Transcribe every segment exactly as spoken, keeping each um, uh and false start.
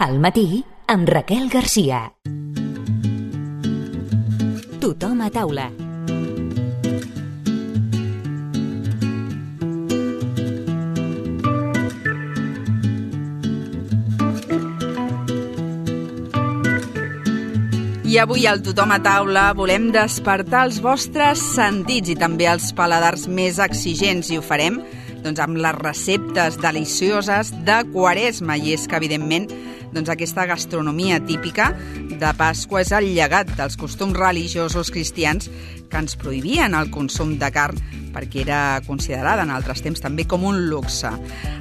Al matí, amb Raquel Garcia. Tothom a taula. I avui al Tothom a taula volem despertar els vostres sentits i també els paladars més exigents, i ho farem doncs, amb les receptes delicioses de Quaresma. I és que, evidentment, doncs, aquesta gastronomia típica de Pasqua és el llegat dels costums religiosos cristians que ens prohibien el consum de carn perquè era considerada en altres temps també com un luxe.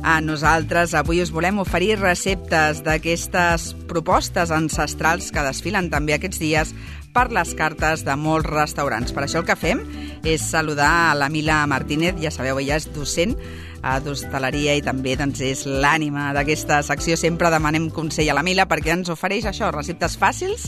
A nosaltres avui us volem oferir receptes d'aquestes propostes ancestrals que desfilen també aquests dies per les cartes de molts restaurants. Per això el que fem és saludar a la Mila Martínez, ja sabeu, ella és docent a d'hostaleria i també doncs, és l'ànima d'aquesta secció. Sempre demanem consell a la Mila perquè ens ofereix això, receptes fàcils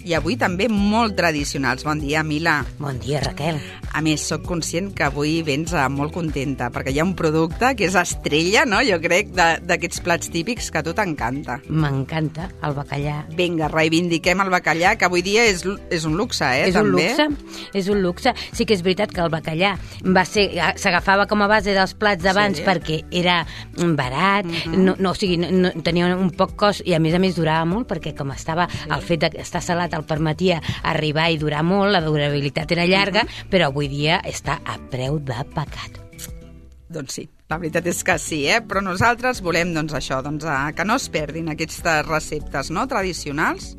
i avui també molt tradicionals. Bon dia, Mila. Bon dia, Raquel. A més, sóc conscient que avui vens molt contenta perquè hi ha un producte que és estrella, no? Jo crec, d'aquests plats típics que a tu t'encanta. M'encanta el bacallà. Vinga, reivindiquem el bacallà, que avui dia és, és un luxe, eh? És també. un luxe, és un luxe. Sí que és veritat que el bacallà va ser, s'agafava com a base dels plats d'abans, sí, perquè era barat, uh-huh. no, no, o sigui, no, tenia un poc cost i a més a més durava molt perquè com estava, sí, el fet d'estar salat el permetia arribar i durar molt, la durabilitat era llarga, uh-huh. però avui dia està a preu de pecat. Doncs sí, la veritat és que sí, eh? Però nosaltres volem doncs, això, doncs, que no es perdin aquestes receptes, no?, tradicionals.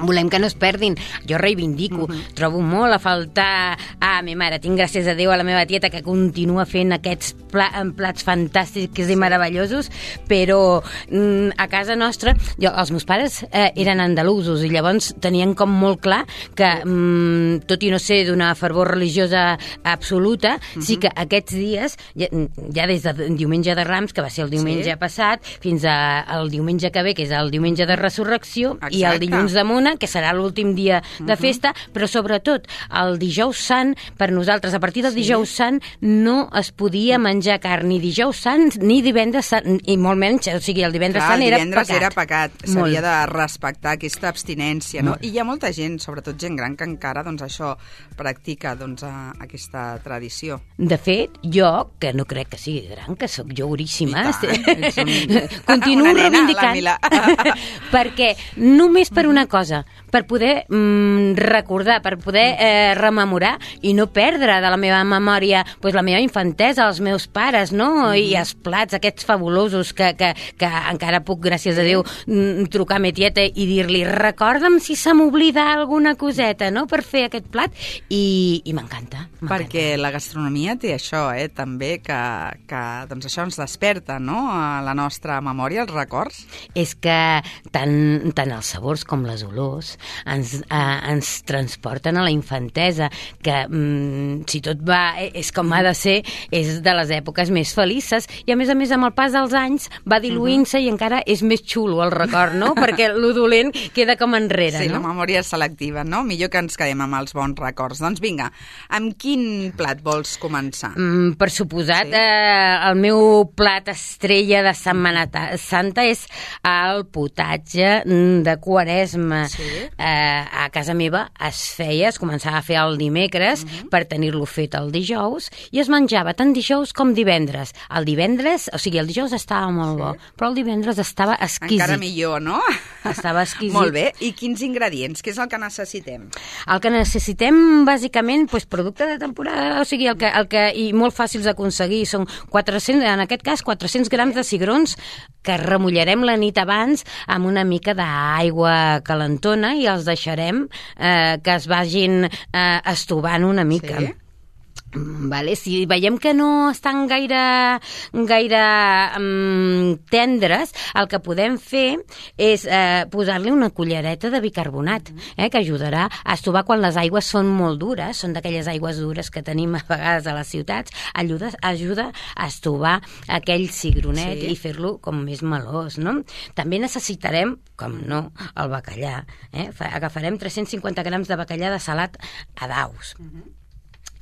Volem que no es perdin. Jo reivindico. Uh-huh. Trobo molt a faltar a mi mare. Tinc, gràcies a Déu, a la meva tieta que continua fent aquests pla plats fantàstics i meravellosos, però mm, a casa nostra, jo, els meus pares eh, eren andalusos i llavors tenien com molt clar que, mm, tot i no ser d'una fervor religiosa absoluta, uh-huh. sí que aquests dies, ja, ja des del diumenge de Rams, que va ser el diumenge sí. passat, fins al diumenge que ve, que és el diumenge de Resurrecció, exacte, i el dilluns de Mona, que serà l'últim dia de festa, uh-huh. però sobretot el dijous sant, per nosaltres, a partir del sí. dijous sant, no es podia menjar carn ni dijous sant ni divendres sant, i molt menys, o sigui, el divendres Clar, sant el era divendres pecat. era pecat, s'havia de respectar aquesta abstinència, no? Molt. I hi ha molta gent, sobretot gent gran, que encara, doncs, això practica, doncs, a, aquesta tradició. De fet, jo, que no crec que sigui gran, que sóc jo guríssima, ets un... continuo nena, reivindicant, perquè només per una cosa, per poder mm, recordar, per poder eh, rememorar i no perdre de la meva memòria pues, la meva infantesa, els meus pares, no? Mm-hmm. I els plats aquests fabulosos que, que, que encara puc, gràcies a Déu, mm, trucar a ma tieta i dir-li recorda'm si se m'oblida alguna coseta, no?, per fer aquest plat, i, i m'encanta. Perquè la gastronomia té això, eh, també, que, que doncs això ens desperta, no?, a la nostra memòria, els records. És que tant, tant els sabors com les olors ens, eh, ens transporten a la infantesa, que mm, si tot va, és com ha de ser, és de les èpoques més felices, i a més a més amb el pas dels anys va diluint-se uh-huh. i encara és més xulo el record, no?, perquè lo dolent queda com enrere, sí, no? Sí, la memòria és selectiva, no? Millor que ens quedem amb els bons records. Doncs vinga, amb quin plat vols començar? Mm, per suposat, sí. eh, el meu plat estrella de Setmana Santa és el potatge de Quaresma. Sí. Eh, a casa meva es feia, es començava a fer el dimecres uh-huh. per tenir-lo fet el dijous, i es menjava tant dijous com divendres. El divendres, o sigui, el dijous estava molt sí. bo, però el divendres estava exquisit. Encara millor, no? Estava exquisit. Molt bé. I quins ingredients? Què és el que necessitem? El que necessitem, bàsicament, doncs, producte de temporada, o sigui, el que, el que, i molt fàcils d'aconseguir, són quatre-cents, en aquest cas, quatre-cents grams de cigrons que remullarem la nit abans amb una mica d'aigua calentona i els deixarem eh, que es vagin eh, estovant una mica. Sí. Vale, si veiem que no estan gaire, gaire um, tendres, el que podem fer és eh, posar-li una cullereta de bicarbonat, eh, que ajudarà a estovar quan les aigües són molt dures, són d'aquelles aigües dures que tenim a vegades a les ciutats, ajuda, ajuda a estovar aquell cigronet sí. i fer-lo com més melós, no? També necessitarem, com no, el bacallà. Eh? Agafarem tres-cents cinquanta grams de bacallà de salat a daus. Uh-huh.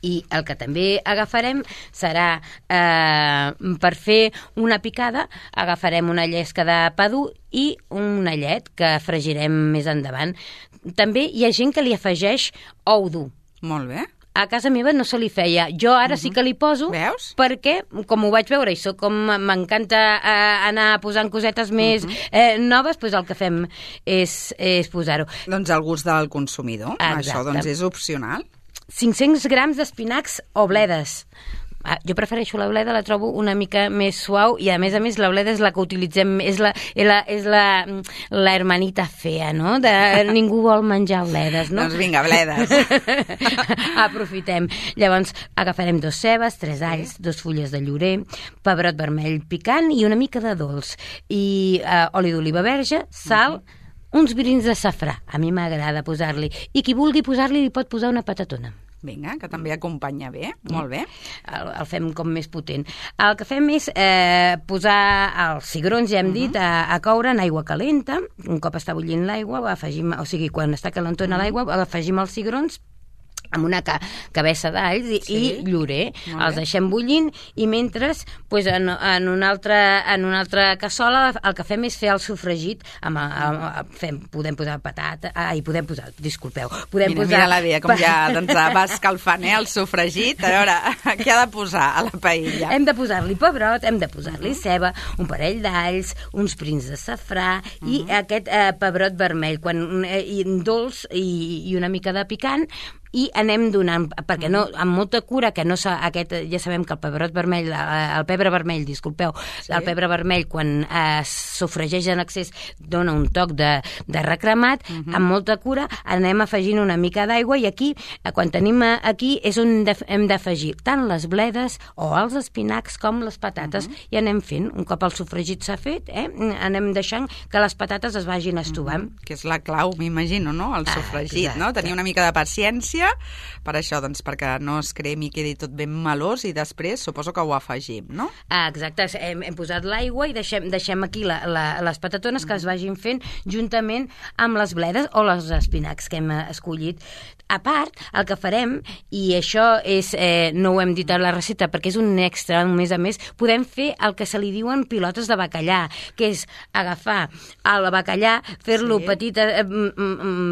I el que també agafarem serà, eh, per fer una picada, agafarem una llesca de pa dur i una llet que fregirem més endavant. També hi ha gent que li afegeix ou dur. Molt bé. A casa meva no se li feia. Jo ara uh-huh. sí que li poso. Veus? Perquè, com ho vaig veure, i soc com m'encanta eh, anar posant cosetes més uh-huh. eh, noves, doncs el que fem és, és posar-ho. Doncs el gust del consumidor. Exacte. Això doncs és opcional. cinc-cents grams d'espinacs o bledes. Ah, jo prefereixo la bleda, la trobo una mica més suau i a més a més la bleda és la que utilitzem, és la, és la, és la, la hermanita fea, no? De, ningú vol menjar bledes, no? Doncs vinga, bledes. Aprofitem. Llavors agafarem dos cebes, tres alls, dos fulles de llorer, pebrot vermell picant i una mica de dolç. I eh, oli d'oliva verge, sal, uh-huh. uns brins de safrà. A mi m'agrada posar-li. I qui vulgui posar-li li pot posar una patatona. Vinga, que també acompanya bé, molt bé. El, el fem com més potent. El que fem és eh, posar els cigrons, ja hem uh-huh. dit, a, a coure en aigua calenta. Un cop està bullint l'aigua, afegim, o sigui, quan està calentona uh-huh. l'aigua, afegim els cigrons amb una ca cabessa d'alls i, sí. i llorer. Els deixem bullint i mentre pues, en, en, una altra, en una altra cassola el que fem és fer el sofregit amb, amb, amb, fem, podem posar patata ah, i podem posar, disculpeu podem mira, posar... mira la Bea com ja doncs, va escalfant eh, el sofregit. A veure, què ha de posar a la paella? Hem de posar-li pebrot, hem de posar-li ceba, un parell d'alls, uns prins de safrà uh-huh. i aquest eh, pebrot vermell quan, eh, i dolç i, i una mica de picant i anem donant, perquè no, amb molta cura, que no s'ha, aquest, ja sabem que el pebrot vermell, el pebre vermell, disculpeu, sí. el pebre vermell quan es sofregeix en excés dona un toc de, de recremat, uh -huh. amb molta cura anem afegint una mica d'aigua i aquí, quan tenim aquí, és on hem d'afegir tant les bledes o els espinacs com les patates uh -huh. i anem fent, un cop el sofregit s'ha fet, eh, anem deixant que les patates es vagin estovant. Uh -huh. Que és la clau, m'imagino, no? El sofregit, ah, no? Tenir una mica de paciència per això, doncs, perquè no es cremi i quedi tot ben melós i després suposo que ho afegim, no? Ah, exacte, hem, hem posat l'aigua i deixem, deixem aquí la, la, les patatones que es vagin fent juntament amb les bledes o les espinacs que hem escollit. A part, el que farem, i això és, eh, no ho hem dit a la recepta perquè és un extra, a més a més, podem fer el que se li diuen pilotes de bacallà, que és agafar el bacallà, fer-lo sí. petit, eh,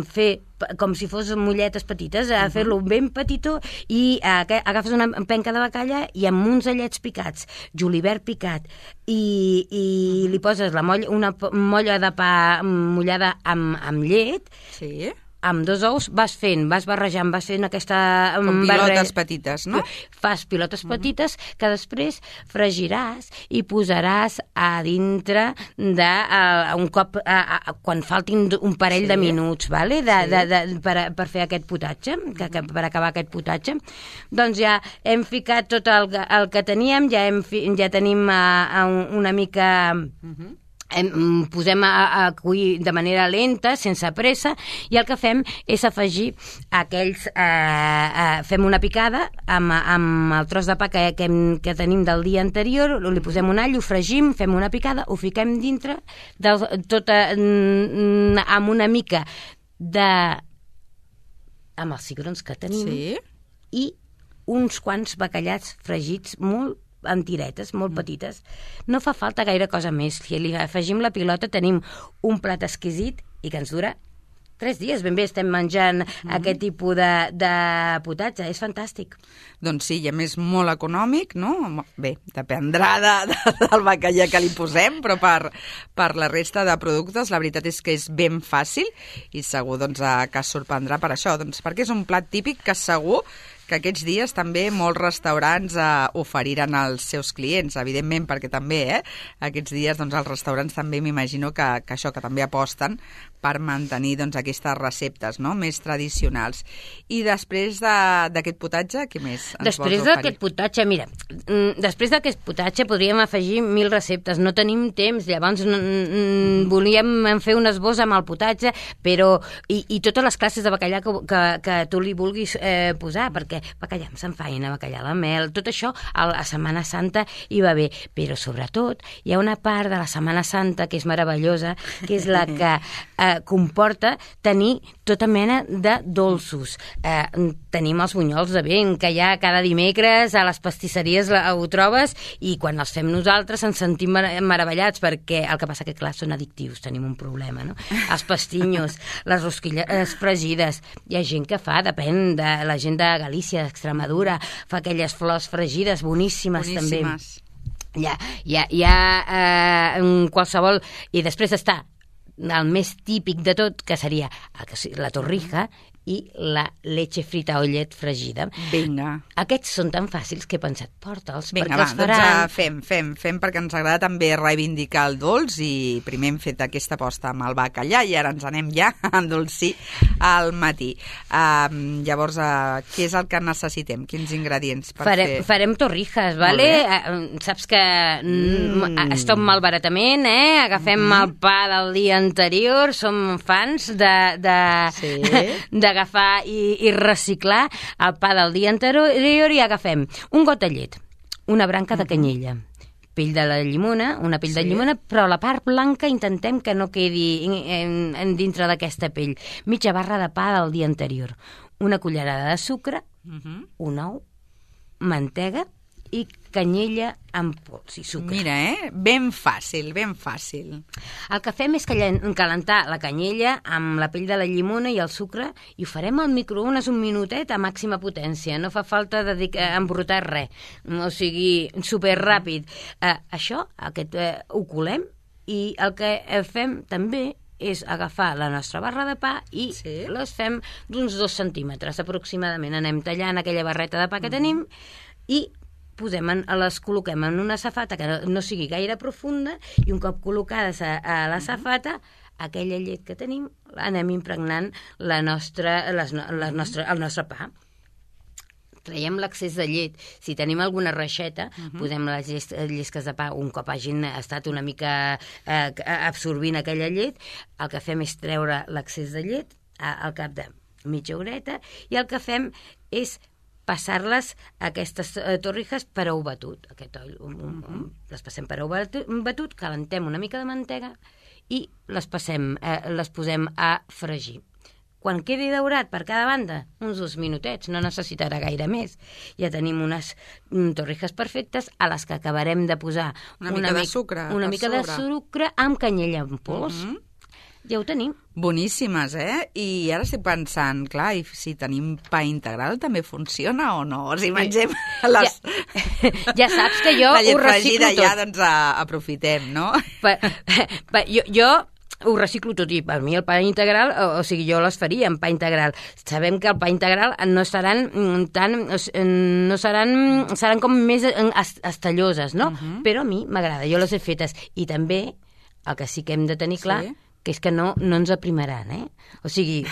fer com si fos molletes petites, a uh -huh. fer-lo ben petitó i eh, agafes una penca de bacallà i amb uns allets picats, julivert picat i, i uh -huh. li poses la molla, una molla de pa mullada amb, amb llet sí. amb dos ous, vas fent, vas barrejant, vas fent aquesta... Com pilotes petites, no? Fas pilotes uh-huh. petites que després fregiràs i posaràs a dintre de uh, un cop, uh, uh, quan faltin un parell sí. de minuts, vale? de, sí. de, de, per, per fer aquest potatge, que, que, per acabar aquest potatge. Doncs ja hem ficat tot el, el que teníem, ja, hem, ja tenim uh, una mica... Uh-huh. Em, posem a, a cuir de manera lenta, sense pressa, i el que fem és afegir aquells... Eh, eh, fem una picada amb, amb el tros de pa que, que, que tenim del dia anterior, li posem un all, ho fregim, fem una picada, ho fiquem dintre, del, tota, amb una mica de... amb els cigrons que tenim sí. i uns quants bacallats fregits molt en tiretes, molt petites. No fa falta gaire cosa més. Si li afegim la pilota tenim un plat exquisit i que ens dura tres dies. Ben bé estem menjant mm. aquest tipus de, de potatge. És fantàstic. Doncs sí, i a més molt econòmic, no? Bé, dependrà de, de, del bacallà que li posem, però per, per la resta de productes la veritat és que és ben fàcil i segur doncs, que es sorprendrà per això, doncs, perquè és un plat típic que segur que aquests dies també molts restaurants eh, oferiran als seus clients, evidentment, perquè també eh, aquests dies doncs, els restaurants també m'imagino que, que això, que també aposten per mantenir doncs, aquestes receptes no? més tradicionals. I després d'aquest de, potatge, què més ens després vols oferir? D'aquest potatge, mira, després d'aquest potatge podríem afegir mil receptes, no tenim temps, llavors mm, volíem fer un esbós amb el potatge, però i, i totes les classes de bacallà que, que, que tu li vulguis eh, posar, perquè perquè bacallà amb samfaina, bacallà a la mel, tot això a la Setmana Santa hi va bé, però sobretot hi ha una part de la Setmana Santa que és meravellosa, que és la que eh, comporta tenir tota mena de dolços. Eh, tenim els bunyols de vent, que ja cada dimecres a les pastisseries la, ho trobes, i quan els fem nosaltres ens sentim mar meravellats, perquè el que passa que, clar, són addictius, tenim un problema, no? Els pastinyos, les rosquilles fregides, hi ha gent que fa, depèn de la gent de Galícia, d'Extremadura, fa aquelles flors fregides boníssimes, boníssimes. també. Hi ha, hi ha, hi ha eh, qualsevol... I després està el més típic de tot, que seria la torrija i la leche frita o llet fregida. Vinga. Aquests són tan fàcils que he pensat, porta'ls, Vinga, perquè va, els faran... doncs fem, fem, fem, perquè ens agrada també reivindicar el dolç, i primer hem fet aquesta aposta amb el bacallà i ara ens anem ja a endolcir al matí. Uh, llavors, uh, què és el que necessitem? Quins ingredients per farem, fer? Farem torrijas, vale? Uh, saps que mm. es tot malbaratament, eh? Agafem mm. el pa del dia anterior, som fans de... de, sí. de agafar i, i reciclar el pa del dia anterior, i agafem un got de llet, una branca de canyella, pell de la llimona, una pell sí. de llimona, però la part blanca intentem que no quedi en, en, en dintre d'aquesta pell. Mitja barra de pa del dia anterior, una cullerada de sucre, uh -huh. un ou, mantega i canyella amb pols i sucre. Mira, eh? Ben fàcil, ben fàcil. El que fem és calentar la canyella amb la pell de la llimona i el sucre, i ho farem al microones un minutet a màxima potència. No fa falta embrutar res. O sigui, superràpid. Eh, això, aquest, eh, ho colem, i el que fem també és agafar la nostra barra de pa i sí. les fem d'uns dos centímetres aproximadament. Anem tallant aquella barreta de pa que tenim i posem en, les col·loquem en una safata que no, no sigui gaire profunda, i un cop col·locades a, a la safata, aquella llet que tenim anem impregnant la nostra, les, la nostra, el nostre pa. Traiem l'excés de llet. Si tenim alguna reixeta, uh -huh. posem les lles, llesques de pa un cop hagin estat una mica eh, absorbint aquella llet. El que fem és treure l'excés de llet a, al cap de mitja horeta, i el que fem és passar-les, aquestes eh, torrijas, per ou batut. Aquest oll, um, um, um, les passem per ou batut, batut, calentem una mica de mantega i les passem, eh, les posem a fregir. Quan quedi daurat per cada banda, uns dos minutets, no necessitarà gaire més. Ja tenim unes mm, torrijas perfectes a les que acabarem de posar una, una mica de sucre, una mica de sucre amb canyella en pols. Uh -huh. Ja ho tenim. Boníssimes, eh? I ara estic pensant, clar, i si tenim pa integral també funciona o no? O si mengem les... Ja, ja saps que jo la llet ho reciclo fregida tot. Ja, doncs, a, aprofitem, no? Pa, pa, jo... jo ho reciclo tot, i per mi el pa integral, o, o sigui, jo les faria en pa integral. Sabem que el pa integral no seran tan, no seran, seran com més estalloses, no? Uh -huh. Però a mi m'agrada, jo les he fetes. I també, el que sí que hem de tenir clar, sí. que és que no, no ens aprimaran, eh? O sigui,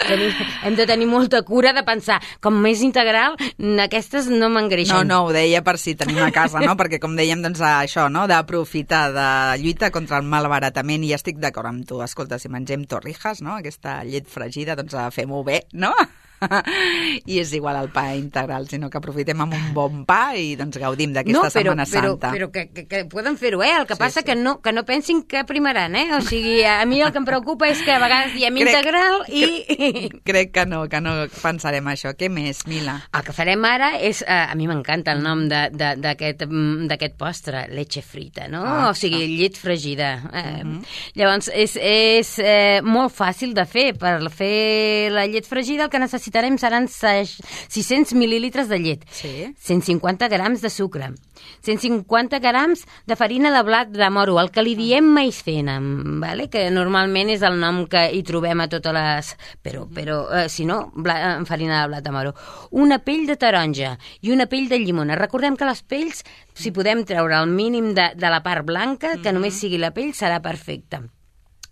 tenim, hem de tenir molta cura de pensar, com més integral, aquestes no m'engreixen. No, no, ho deia per si tenim a casa, no? Perquè, com dèiem, doncs, això, no?, d'aprofitar, de lluita contra el malbaratament, i ja estic d'acord amb tu. Escolta, si mengem torrijas, no?, aquesta llet fregida, doncs fem-ho bé, no? I és igual al pa integral, sinó que aprofitem amb un bon pa i doncs gaudim d'aquesta no, però, Setmana però, Santa. Però que, que, que poden fer-ho, eh? El que sí, passa sí. que no, que no pensin que primaran, eh? O sigui, a mi el que em preocupa és que a vegades diem crec, integral i... Crec, crec que no, que no pensarem això. Què més, Mila? El que farem ara és... Eh, a mi m'encanta el nom d'aquest postre, leche frita, no? Ah, o sigui, ah. llet fregida. Eh, uh -huh. Llavors, és, és eh, molt fàcil de fer. Per fer la llet fregida el que necessitarem seran sis-cents mil·lilitres de llet, sí. cent cinquanta grams de sucre, cent cinquanta grams de farina de blat de moro, el que li diem maicena, vale? Que normalment és el nom que hi trobem a totes les... Però, però eh, si no, bla... farina de blat de moro. Una pell de taronja i una pell de llimona. Recordem que les pells, si podem treure el mínim de, de la part blanca, que només sigui la pell, serà perfecta.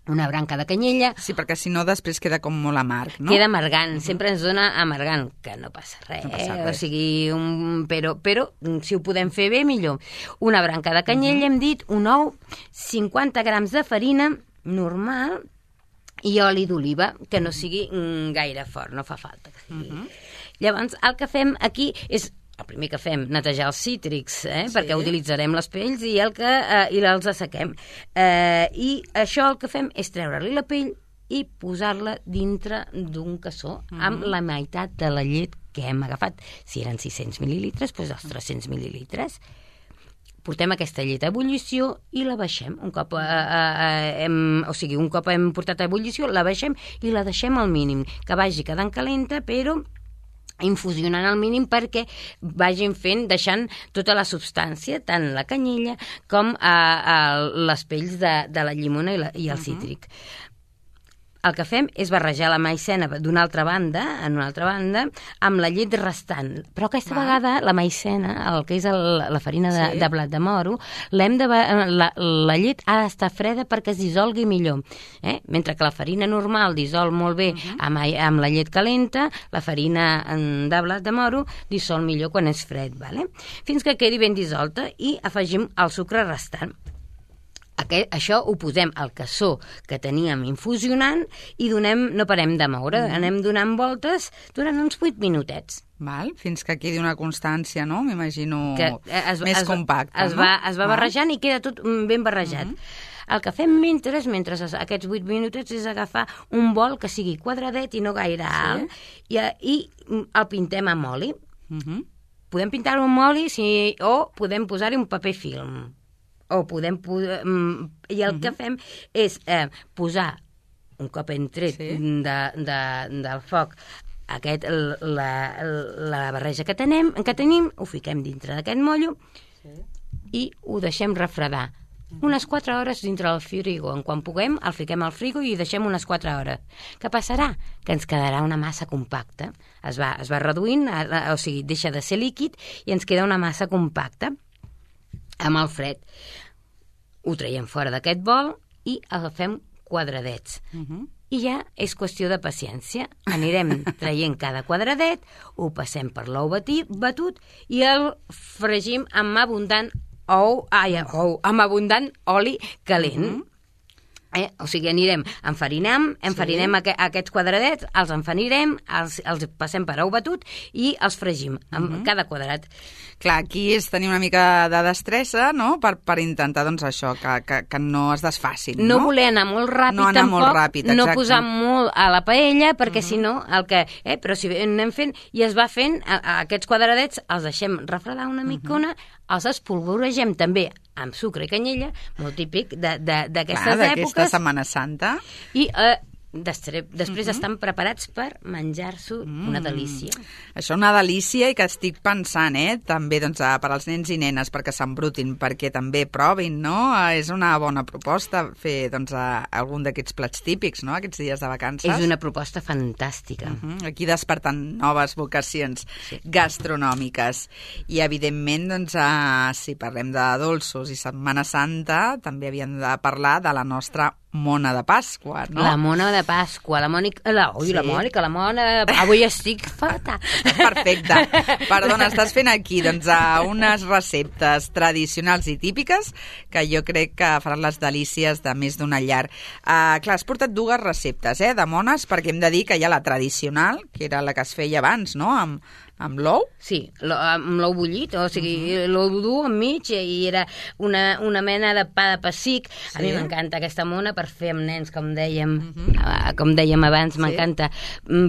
Una branca de canyella... Sí, perquè si no després queda com molt amarg, no? Queda amargant, uh -huh. sempre ens dona amargant, que no passa res, no passa res. O sigui, un, però, però si ho podem fer bé, millor. Una branca de canyella, uh -huh. hem dit, un ou, cinquanta grams de farina normal i oli d'oliva, que no sigui mm, gaire fort, no fa falta que sigui... Uh -huh. Llavors, el que fem aquí és el primer que fem, netejar els cítrics, eh? Sí. Perquè utilitzarem les pells i, el que, eh, i els assequem. Eh, I això el que fem és treure-li la pell i posar-la dintre d'un cassó mm. amb la meitat de la llet que hem agafat. Si eren sis-cents mil·lilitres, doncs els tres-cents mil·lilitres. Portem aquesta llet a ebullició i la baixem. Un cop, eh, eh, hem, o sigui, un cop hem portat a ebullició, la baixem i la deixem al mínim, que vagi quedant calenta, però infusionant al mínim perquè vagin fent, deixant tota la substància, tant la canyella com a, a les pells de, de la llimona i, la, i el uh-huh. cítric. El que fem és barrejar la maicena d'una altra banda, en una altra banda, amb la llet restant. Però aquesta Va. vegada la maicena, el que és el, la farina de, sí. de blat de moro, l'hem de, la, la llet ha d'estar freda perquè es dissolgui millor. Eh? Mentre que la farina normal dissol molt bé uh-huh. amb, amb la llet calenta, la farina de blat de moro dissol millor quan és fred. Vale? Fins que quedi ben dissolta i afegim el sucre restant. Aquest, això ho posem al cassó que teníem infusionant i donem, no parem de moure, mm. anem donant voltes durant uns vuit minutets. Val, fins que quedi una constància, no? M'imagino es, més es, compacte, es no? Va, es va barrejant i queda tot ben barrejat. Mm-hmm. El que fem mentre, mentre aquests vuit minutets és agafar un bol que sigui quadradet i no gaire alt sí. i, i el pintem amb oli. Mm-hmm. Podem pintar-ho amb oli si, o podem posar-hi un paper film. O podem posar... I el uh-huh. que fem és eh, posar, un cop hem tret sí. de, de, del foc, aquest, la, la barreja que tenim, que tenim, ho fiquem dintre d'aquest mollo sí. i ho deixem refredar. Uh-huh. Unes quatre hores dintre del frigo. En quan puguem, el fiquem al frigo i deixem unes quatre hores. Què passarà? Que ens quedarà una massa compacta. Es va, es va reduint, o sigui, deixa de ser líquid i ens queda una massa compacta. Amb el fred. Ho traiem fora d'aquest bol i agafem quadradets. Uh-huh. I ja és qüestió de paciència. Anirem traient cada quadradet, ho passem per l'ou batut i el fregim amb abundant ou, ai, ou, amb abundant oli calent. Uh-huh. Eh? O sigui, anirem, enfarinem, enfarinem sí. aqu aquests quadradets, els enfanirem, els, els passem per ou batut i els fregim amb uh-huh. cada quadrat. Clar, aquí és tenir una mica de destressa, no?, per, per intentar, doncs, això, que, que, que no es desfacin, no? No voler anar molt ràpid, no anar tampoc, molt ràpid, no posar molt a la paella, perquè uh-huh. si no, el que... Eh, però si anem fent, i es va fent, a, a aquests quadradets els deixem refredar una micona, uh-huh. els espolvoregem també amb sucre i canyella, molt típic d'aquestes èpoques. D'aquesta Setmana Santa. I eh, després uh-huh. estan preparats per menjar-s'ho mm. una delícia. Això una delícia i que estic pensant, eh, també doncs, per als nens i nenes, perquè s'embrutin, perquè també provin, no? És una bona proposta fer doncs, algun d'aquests plats típics, no?, aquests dies de vacances. És una proposta fantàstica. Uh-huh. Aquí despertant noves vocacions sí. gastronòmiques. I, evidentment, doncs, eh, si parlem de dolços i Setmana Santa, també havíem de parlar de la nostra mona de Pasqua, no? La mona de Pasqua, la Mònica... La, ui, sí. la Mònica, la mona... Avui estic fatal. Perfecte. Perdona, estàs fent aquí doncs, unes receptes tradicionals i típiques que jo crec que faran les delícies de més d'una llar. Uh, clar, has portat dues receptes, eh, de mones, perquè hem de dir que hi ha la tradicional, que era la que es feia abans, no?, amb, amb l'ou? Sí, amb l'ou bullit, o sigui, uh-huh. l'ou dur enmig, i era una, una mena de pa de pessic. Sí. A mi m'encanta aquesta mona per fer amb nens, com dèiem, uh-huh. com dèiem abans, sí. m'encanta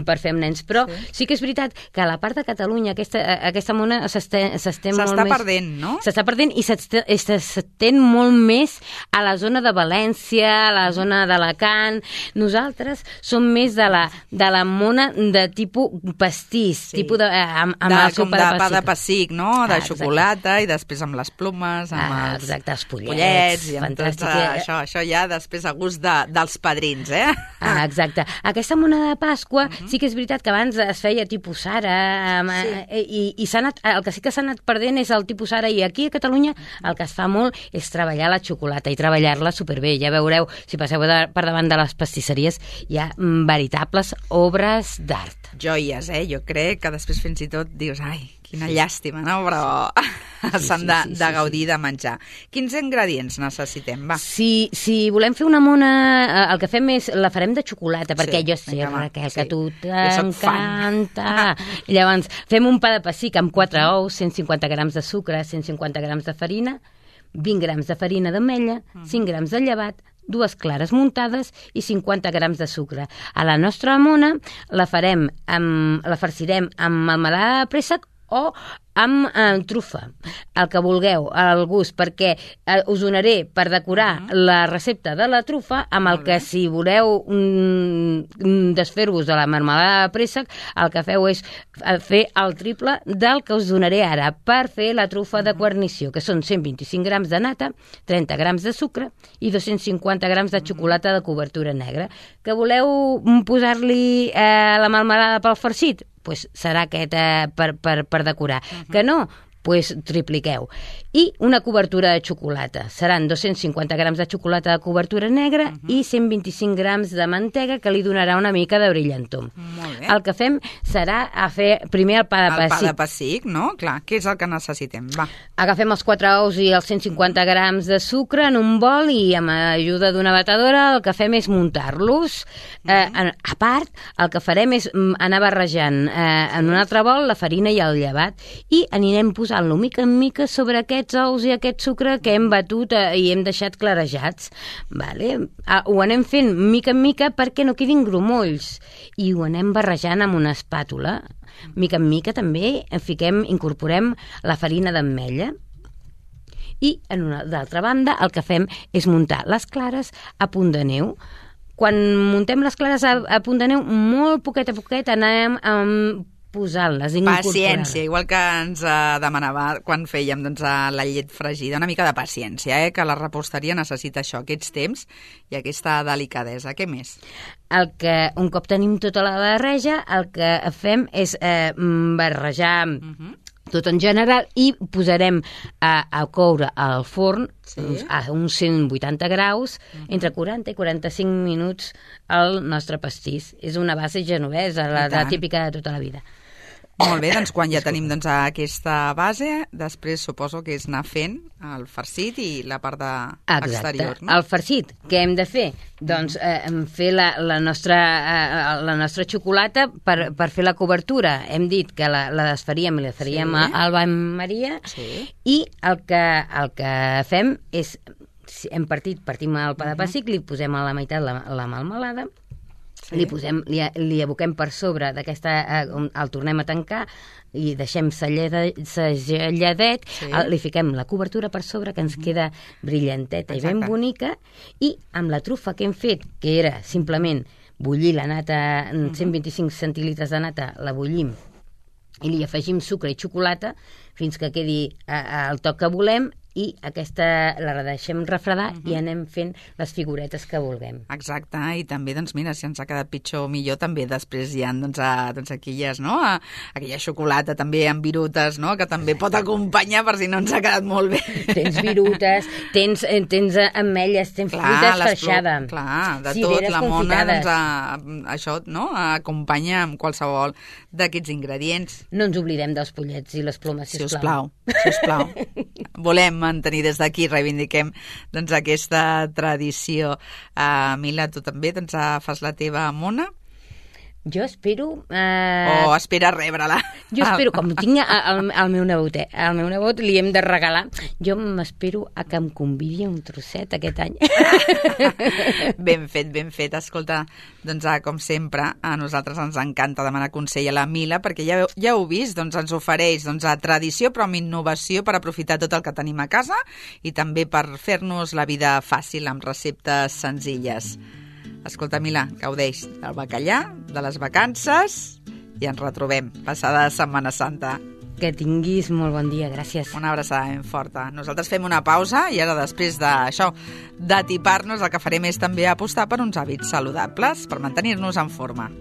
per fer amb nens. Però sí. sí que és veritat que a la part de Catalunya aquesta, aquesta mona s'estén molt més... perdent, no? S'està perdent i s'estén molt més a la zona de València, a la zona d'Alacant. Nosaltres som més de la, de la mona de tipus pastís, sí. tipus de... Amb, amb de, el com de, de pa de pessic, no? De ah, xocolata i després amb les plomes, amb ah, els, exacte, els pollets, pollets i amb tot uh, això, això ja després a gust de, dels padrins, eh? Ah, exacte. Aquesta mona de Pasqua uh-huh. sí que és veritat que abans es feia tipus Sara sí. i, i s'ha anat, el que sí que s'ha anat perdent és el tipus Sara, i aquí a Catalunya el que es fa molt és treballar la xocolata i treballar-la superbé. Ja veureu, si passeu de, per davant de les pastisseries, hi ha veritables obres d'art. Joies, eh? Jo crec que després fins i tot dius, ai, Quina sí. llàstima, no? Però sí, s'han de, sí, sí, de gaudir sí, sí. de menjar. Quins ingredients necessitem? Va. Si, si volem fer una mona, el que fem és, la farem de xocolata, perquè sí, jo sé, vinga, Raquel, sí. que a tu t'encanta. Llavors, fem un pa de pessic amb quatre ous, cent cinquanta grams de sucre, cent cinquanta grams de farina, vint grams de farina d'ametlla, cinc grams de llevat, dues clares muntades i cinquanta grams de sucre. A la nostra mona la farem amb, la farcirem amb melmelada de préssec o amb eh, trufa, el que vulgueu, al gust, perquè eh, us donaré per decorar uh -huh. la recepta de la trufa amb el que, si voleu mm, desfer-vos de la melmelada de préssec, el que feu és fer el triple del que us donaré ara per fer la trufa uh -huh. de guarnició, que són cent vint-i-cinc grams de nata, trenta grams de sucre i dos-cents cinquanta grams de xocolata de cobertura negra. Que voleu posar-li eh, la melmelada pel farcit? Pues serà aquest eh, per, per, per decorar. Uh-huh. Que no? Pues tripliqueu. I una cobertura de xocolata. Seran dos-cents cinquanta grams de xocolata de cobertura negra uh-huh. i cent vint-i-cinc grams de mantega, que li donarà una mica de brillantor. Molt bé. El que fem serà a fer primer el pa de pessic. El pa de pessic, no? Clar, què és el que necessitem? Va. Agafem els quatre ous i els cent cinquanta grams de sucre en un bol i amb ajuda d'una batedora el que fem és muntar-los. Uh-huh. Eh, a part, el que farem és anar barrejant eh, en un altre bol la farina i el llevat i anirem posant-lo mica en mica sobre aquests ous i aquest sucre que hem batut eh, i hem deixat clarejats. Vale? Ah, ho anem fent mica en mica perquè no quedin grumolls i ho anem barrejant amb una espàtula. Mica en mica també fiquem, incorporem la farina d'ametlla. I, en una d'altra banda, el que fem és muntar les clares a punt de neu. Quan muntem les clares a, a punt de neu, molt poquet a poquet anem amb posant-les, incorporant-les. Paciència, igual que ens uh, demanava quan fèiem doncs, uh, la llet fregida, una mica de paciència, eh? Que la reposteria necessita això, aquests temps i aquesta delicadesa. Què més? El que, un cop tenim tota la barreja, el que fem és eh, barrejar uh-huh. tot en general i posarem a, a coure al forn sí. a uns cent vuitanta graus uh-huh. entre quaranta i quaranta-cinc minuts el nostre pastís. És una base genovesa, la, la típica de tota la vida. Molt bé, doncs quan ja tenim doncs, aquesta base, després suposo que és anar fent el farcit i la part de exterior. No? El farcit, què hem de fer? Doncs eh, fer la, la, nostra, eh, la nostra xocolata per, per fer la cobertura. Hem dit que la, la desfaríem i la faríem sí. al bany Maria sí. i el que, el que fem és, hem partit, partim el pa de pessic, li posem a la meitat la, la melmelada, sí. li, posem, li, li aboquem per sobre d'aquesta, eh, el tornem a tancar i deixem segelladet, sí. li fiquem la cobertura per sobre que ens queda brillanteta Exacte. I ben bonica, i amb la trufa que hem fet, que era simplement bullir la nata, cent vint-i-cinc centilitres de nata, la bullim i li afegim sucre i xocolata fins que quedi al toc que volem i aquesta la deixem refredar uh-huh. i anem fent les figuretes que vulguem. Exacte, i també, doncs mira, si ens ha quedat pitjor o millor, també després hi ha doncs, a, doncs aquelles, no? A, aquella xocolata també amb virutes, no? Que també pot acompanyar per si no ens ha quedat molt bé. Tens virutes, tens, tens ametlles, tens clar, fruita esfarxada. Clar, de tot, la mona, doncs, a, això, no? Acompanya amb qualsevol d'aquests ingredients. No ens oblidem dels pollets i les plomes, sisplau. Sisplau, sisplau. Volem mantenir des d'aquí, reivindiquem doncs, aquesta tradició. Uh, Mila, tu també doncs, fas la teva mona? Jo espero... Eh... O espera rebre-la. Jo espero, com tinc el, el meu nebot, eh? El meu nebot li hem de regalar. Jo m'espero a que em convidi un trosset aquest any. Ben fet, ben fet. Escolta, doncs com sempre, a nosaltres ens encanta demanar consell a la Mila, perquè ja, ja heu vist, doncs ens ofereix doncs, a tradició, però amb innovació per aprofitar tot el que tenim a casa i també per fer-nos la vida fàcil amb receptes senzilles. Escolta, Mila, gaudeix del bacallà, de les vacances i ens retrobem passada Setmana Santa. Que tinguis molt bon dia, gràcies. Una abraçada ben forta. Nosaltres fem una pausa i ara després d'això, d'atipar-nos, el que farem és també apostar per uns hàbits saludables per mantenir-nos en forma.